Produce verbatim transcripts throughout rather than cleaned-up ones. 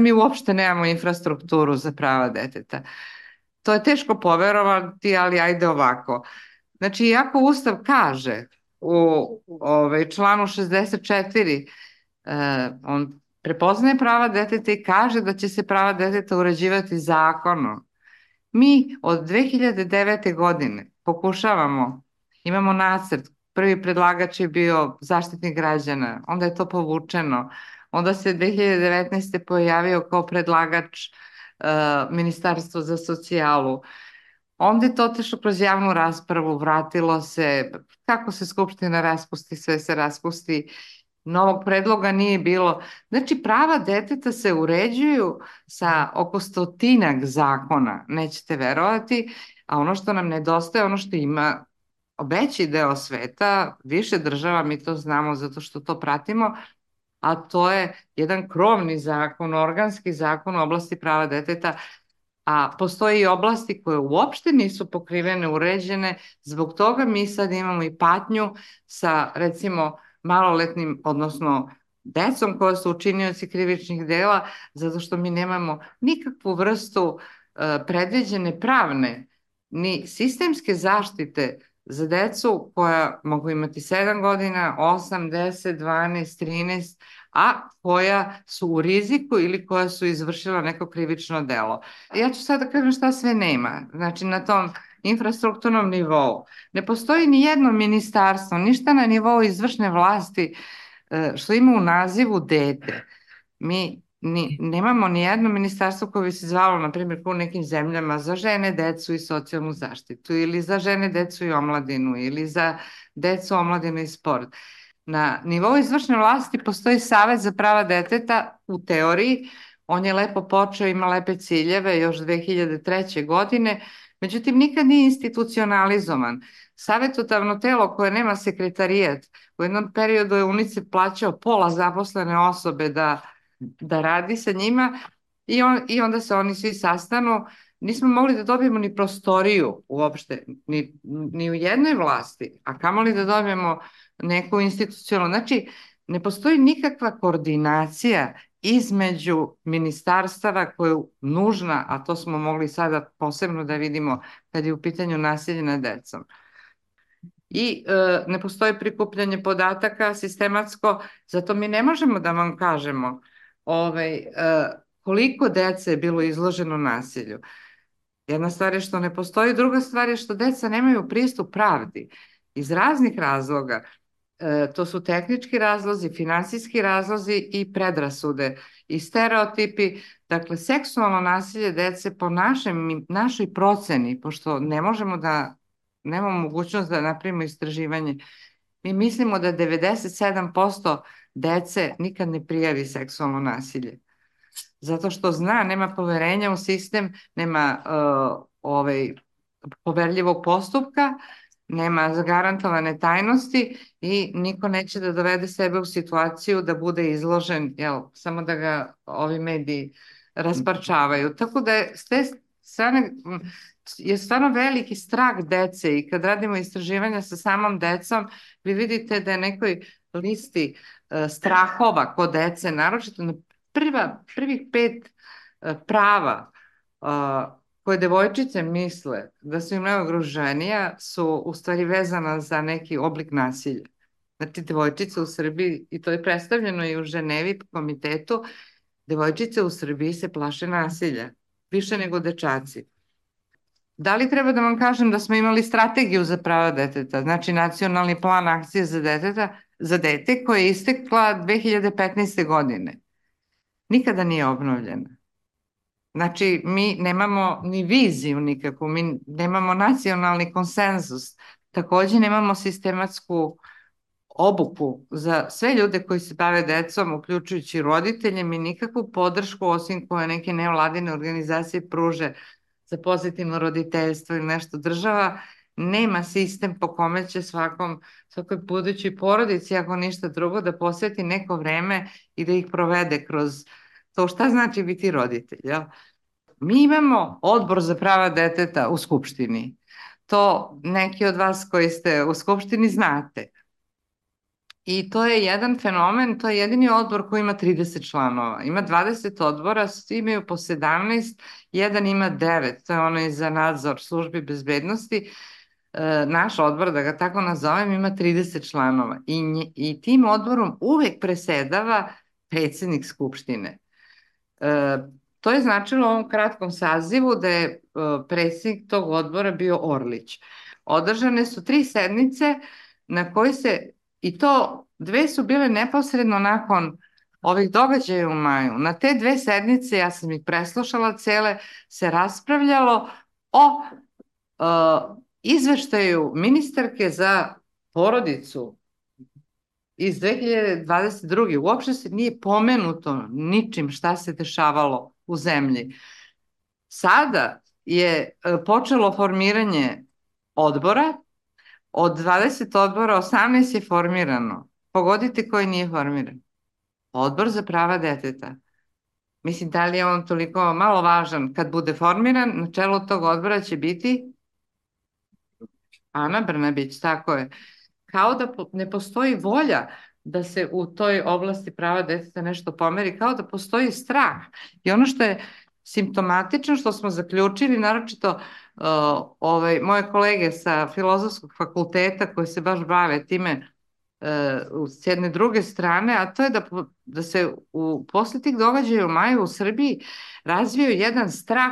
mi uopšte nemamo infrastrukturu za prava deteta. To je teško poverovati, ali ajde ovako. Znači, iako Ustav kaže u ovaj, članu šezdeset četiri, eh, on prepoznaje prava deteta i kaže da će se prava deteta uređivati zakonom. Mi od dve hiljade devete. godine pokušavamo, imamo nacrt, prvi predlagač je bio Zaštitnik građana, onda je to povučeno, onda se dve hiljade devetnaeste. pojavio kao predlagač uh, Ministarstvo za socijalu, onda je to otišlo kroz javnu raspravu, vratilo se, kako se Skupština raspusti, sve se raspusti, novog predloga nije bilo. Znači, prava deteta se uređuju sa oko stotinak zakona, nećete verovati, a ono što nam nedostaje, ono što ima veći deo sveta, više država, mi to znamo zato što to pratimo, a to je jedan krovni zakon, organski zakon u oblasti prava deteta, a postoje i oblasti koje uopšte nisu pokrivene, uređene, zbog toga mi sad imamo i patnju sa, recimo, maloletnim, odnosno decom koja su učinioci krivičnih dela, zato što mi nemamo nikakvu vrstu e, predviđene pravne ni sistemske zaštite za decu koja mogu imati sedam godina, osam, deset, dvanaest, trinaest, a koja su u riziku ili koja su izvršila neko krivično delo. Ja ću sad da kažem šta sve nema, znači na tom infrastrukturnom nivou. Ne postoji ni jedno ministarstvo, ništa na nivou izvršne vlasti e, što ima u nazivu dete. Mi ni, nemamo ni jedno ministarstvo koje bi se zvalo, na primjer, u nekim zemljama za žene, decu i socijalnu zaštitu, ili za žene, decu i omladinu, ili za decu, omladinu i sport. Na nivou izvršne vlasti postoji Savet za prava deteta u teoriji, on je lepo počeo, ima lepe ciljeve još dve hiljade treće. godine, međutim nikad nije institucionalizovan. Savetodavno telo koje nema sekretarijat, u jednom periodu je UNICEF plaćao pola zaposlene osobe da, da radi sa njima i, on, i onda se oni svi sastanu. Nismo mogli da dobijemo ni prostoriju uopšte, ni, ni u jednoj vlasti, a kamoli da dobijemo neku institucionalnu. Znači, ne postoji nikakva koordinacija između ministarstava koja je nužna, a to smo mogli sada posebno da vidimo kad je u pitanju nasilje nad decom. I e, ne postoji prikupljanje podataka sistematsko, zato mi ne možemo da vam kažemo ovaj, e, koliko dece je bilo izloženo nasilju. Jedna stvar je što ne postoji, druga stvar je što deca nemaju pristup pravdi iz raznih razloga. E, to su tehnički razlozi, finansijski razlozi i predrasude i stereotipi. Dakle, seksualno nasilje dece po našem, našoj proceni, pošto ne možemo da, nemamo mogućnost da napravimo istraživanje, mi mislimo da devedeset sedam posto dece nikad ne prijavi seksualno nasilje. Zato što zna, nema poverenja u sistem, nema uh, ovaj, poverljivog postupka, nema zagarantovane tajnosti i niko neće da dovede sebe u situaciju da bude izložen, jel, samo da ga ovi mediji rasparčavaju. Tako da je s te strane je stvarno veliki strah dece i kad radimo istraživanja sa samom decom, vi vidite da je nekoj listi uh, strahova kod dece, naročito na prva, prvih pet uh, prava uh, koje devojčice misle da su im najugroženija su u stvari vezana za neki oblik nasilja. Znači, devojčice u Srbiji, i to je predstavljeno i u Ženevi komitetu, devojčice u Srbiji se plaše nasilja, više nego dečaci. Da li treba da vam kažem da smo imali strategiju za prava deteta, znači nacionalni plan akcije za, deteta, za dete koja je istekla dve hiljade petnaeste. godine. Nikada nije obnovljena. Znači, mi nemamo ni viziju nikakvu, mi nemamo nacionalni konsenzus, takođe nemamo sistematsku obuku za sve ljude koji se bave decom, uključujući roditelje, mi nikakvu podršku, osim koje neke nevladine organizacije pruže za pozitivno roditeljstvo ili nešto. Država nema sistem po kome će svakom, svakoj budućoj porodici, ako ništa drugo, da posveti neko vreme i da ih provede kroz to šta znači biti roditelj, jel? Mi imamo odbor za prava deteta u Skupštini. To neki od vas koji ste u Skupštini znate. I to je jedan fenomen, to je jedini odbor koji ima trideset članova. Ima dvadeset odbora, svi imaju po sedamnaest, jedan ima devet, to je onaj za nadzor službi bezbednosti. E, naš odbor, da ga tako nazovem, ima trideset članova i, nje, i tim odborom uvek presedava predsednik Skupštine. E, to je značilo u ovom kratkom sazivu da je e, predsednik tog odbora bio Orlić. Održane su tri sednice na koji se, i to dve su bile neposredno nakon ovih događaja u maju. Na te dve sednice, ja sam ih preslušala cele, se raspravljalo o uh, izveštaju ministarke za porodicu iz dve hiljade dvadeset druge. Uopšte se nije pomenuto ničim šta se dešavalo u zemlji. Sada je počelo formiranje odbora. Od dvadeset odbora, osamnaest je formirano. Pogodite koji nije formiran. Odbor za prava deteta. Mislim, da li je on toliko malo važan? Kad bude formiran, na čelu tog odbora će biti Ana Brnabić, tako je. Kao da ne postoji volja da se u toj oblasti prava deteta nešto pomeri, kao da postoji strah. I ono što je simptomatično, što smo zaključili, naročito uh, ovaj, moje kolege sa Filozofskog fakulteta koji se baš bave time uh, s jedne druge strane, a to je da, da se u, posle tih događaja u maju u Srbiji razvio jedan strah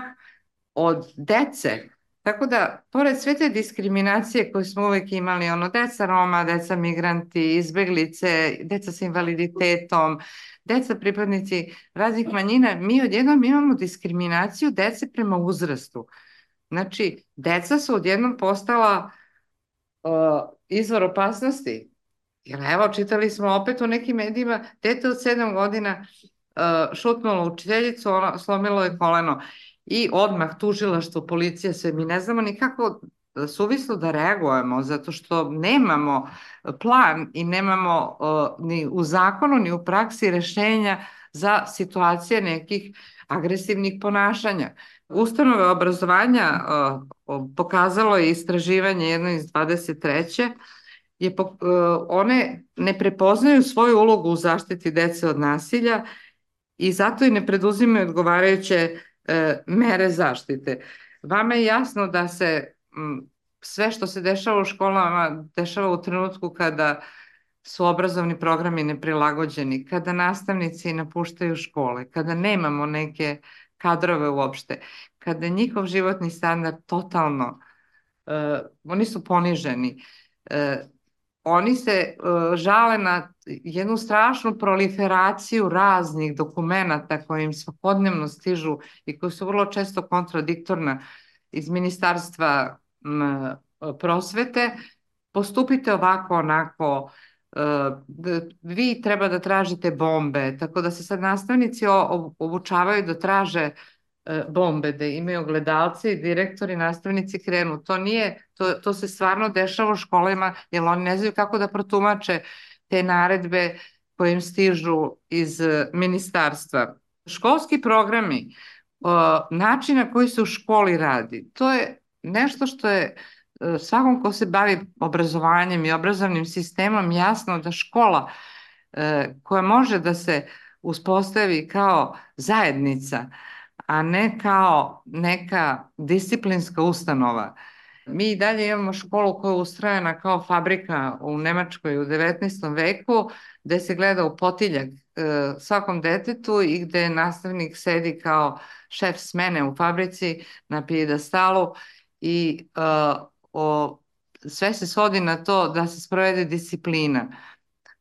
od dece. Tako da, pored sve te diskriminacije koje smo uvek imali, ono, deca Roma, deca migranti, izbeglice, deca sa invaliditetom, deca pripadnici raznih manjina, mi odjednom imamo diskriminaciju dece prema uzrastu. Znači, deca su odjednom postala uh, izvor opasnosti. Jer evo, čitali smo opet u nekim medijima, dete od sedam godina uh, šutnulo učiteljicu, ono, slomilo je koleno. I odmah tužilaštvo, policija, sve, mi ne znamo nikako suvislo da reagujemo, zato što nemamo plan i nemamo uh, ni u zakonu, ni u praksi rešenja za situacije nekih agresivnih ponašanja. Ustanove obrazovanja uh, pokazalo je istraživanje jedno iz dvadeset treće je uh, one ne prepoznaju svoju ulogu u zaštiti dece od nasilja i zato i ne preduzimaju odgovarajuće mere zaštite. Vama je jasno da se m, sve što se dešava u školama dešava u trenutku kada su obrazovni programi neprilagođeni, kada nastavnici napuštaju škole, kada nemamo neke kadrove uopšte, kada njihov životni standard totalno, uh, oni su poniženi. Uh, Oni se uh, žale na jednu strašnu proliferaciju raznih dokumenata koje im svakodnevno stižu i koji su vrlo često kontradiktorna iz Ministarstva m, prosvete. Postupite ovako, onako, uh, vi treba da tražite bombe, tako da se sad nastavnici obučavaju da traže bombe, da imaju gledalce i direktori, nastavnici krenu. To nije, to, to se stvarno dešava u školama, jer oni ne znaju kako da protumače te naredbe koje im stižu iz ministarstva. Školski programi, način na koji se u školi radi, to je nešto što je svakom ko se bavi obrazovanjem i obrazovnim sistemom jasno da škola koja može da se uspostavi kao zajednica, a ne kao neka disciplinska ustanova. Mi i dalje imamo školu koja je ustrojena kao fabrika u Nemačkoj u devetnaestom veku, gde se gleda u potiljak e, svakom detetu i gde nastavnik sedi kao šef smene u fabrici na pijedestalu i e, o, sve se svodi na to da se sprovede disciplina.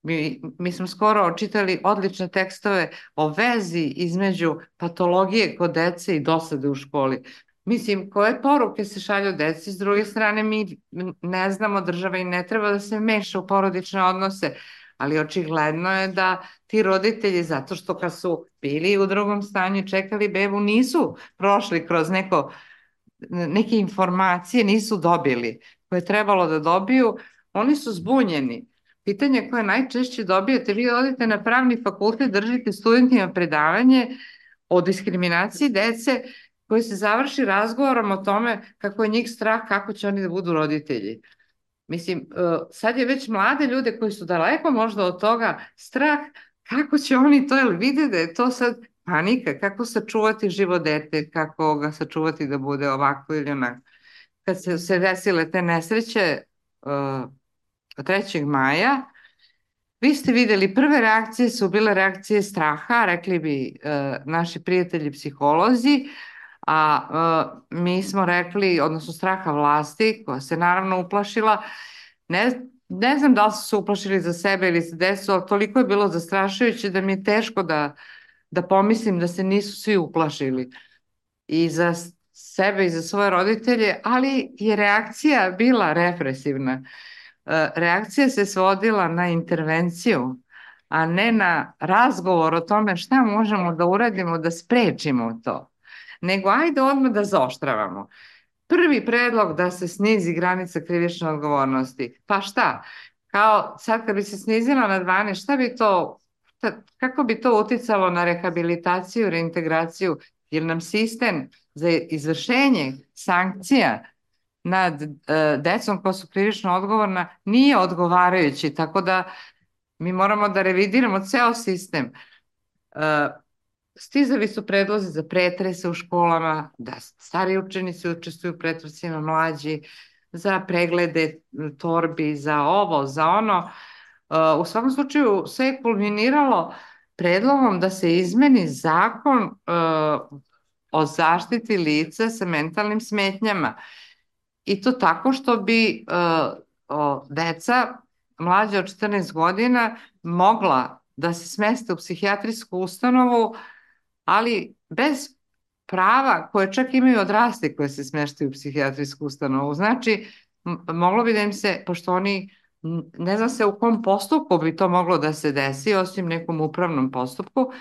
Mi, mi smo skoro očitali odlične tekstove o vezi između patologije kod dece i dosade u školi. Mislim, koje poruke se šalju deci, s druge strane mi ne znamo, država i ne treba da se meša u porodične odnose, ali očigledno je da ti roditelji, zato što kad su bili u drugom stanju i čekali bebu, nisu prošli kroz neko, neke informacije, nisu dobili koje je trebalo da dobiju, oni su zbunjeni. Pitanje koje najčešće dobijete, vi odete na pravni fakultet, držite studentima predavanje o diskriminaciji dece koji se završi razgovorom o tome kako je njih strah, kako će oni da budu roditelji. Mislim, uh, sad je već mlade ljude koji su daleko možda od toga strah kako će oni to, jel vide da je to sad panika, kako sačuvati život dete, kako ga sačuvati da bude ovako ili onako. Kad se, se desile te nesreće uh, trećeg maja, vi ste videli, prve reakcije su bile reakcije straha, rekli bi uh, naši prijatelji psiholozi, a uh, mi smo rekli, odnosno straha vlasti, koja se naravno uplašila, ne, ne znam da li su se uplašili za sebe ili za decu, ali toliko je bilo zastrašujuće da mi je teško da, da pomislim da se nisu svi uplašili i za sebe i za svoje roditelje, ali je reakcija bila represivna. Reakcija se svodila na intervenciju, a ne na razgovor o tome šta možemo da uradimo da sprečimo to, nego ajde odmah da zaoštravamo. Prvi predlog da se snizi granica krivične odgovornosti. Pa šta? Kao sad kad bi se snizila na dvanaest, šta bi to, kako bi to uticalo na rehabilitaciju, reintegraciju, jer nam sistem za izvršenje sankcija nad uh, decom koja su krivično odgovorna nije odgovarajući, tako da mi moramo da revidiramo ceo sistem. Uh, stizali su predlozi za pretrese u školama, da stari učenici učestvuju u pretresima, mlađi, za preglede torbi, za ovo, za ono. Uh, u svakom slučaju sve je kulminiralo predlogom da se izmeni zakon uh, o zaštiti lica sa mentalnim smetnjama. I to tako što bi uh, o, deca mlađa od četrnaest godina mogla da se smeste u psihijatrijsku ustanovu, ali bez prava koje čak imaju odrasli koje se smeštaju u psihijatrijsku ustanovu. Znači, moglo bi da im se, pošto oni, ne zna se u kom postupku bi to moglo da se desi, osim nekom upravnom postupku,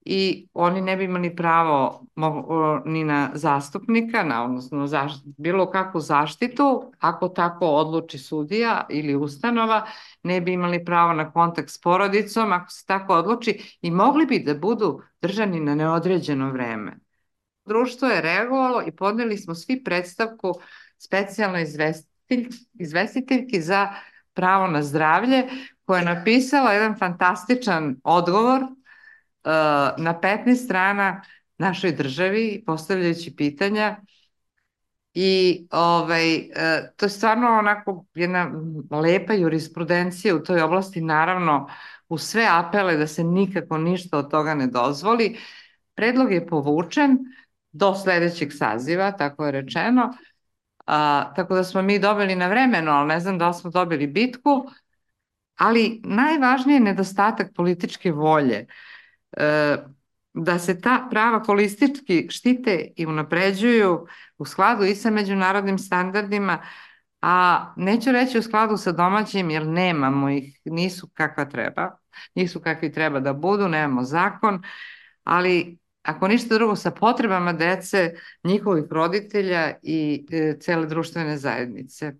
i oni ne bi imali pravo ni na zastupnika, na, odnosno zaš, bilo kakvu zaštitu, ako tako odluči sudija ili ustanova, ne bi imali pravo na kontakt s porodicom, ako se tako odluči, i mogli bi da budu držani na neodređeno vreme. Društvo je reagovalo i podneli smo svi predstavku specijalnoj izvestitelj, izvestiteljki za pravo na zdravlje, koja je napisala jedan fantastičan odgovor na petnaest strana našoj državi, postavljajući pitanja, i ovaj, to je stvarno onako jedna lepa jurisprudencija u toj oblasti, naravno u sve apele da se nikako ništa od toga ne dozvoli. Predlog je povučen do sledećeg saziva, tako je rečeno, a, tako da smo mi dobili na vremeno, ali ne znam da li smo dobili bitku, ali najvažnije je nedostatak političke volje, da se ta prava holistički štite i unapređuju u skladu i sa međunarodnim standardima, a neću reći u skladu sa domaćim, jer nemamo ih, nisu kakva treba, nisu kakvi treba da budu, nemamo zakon, ali ako ništa drugo sa potrebama dece, njihovih roditelja i e, cele društvene zajednice.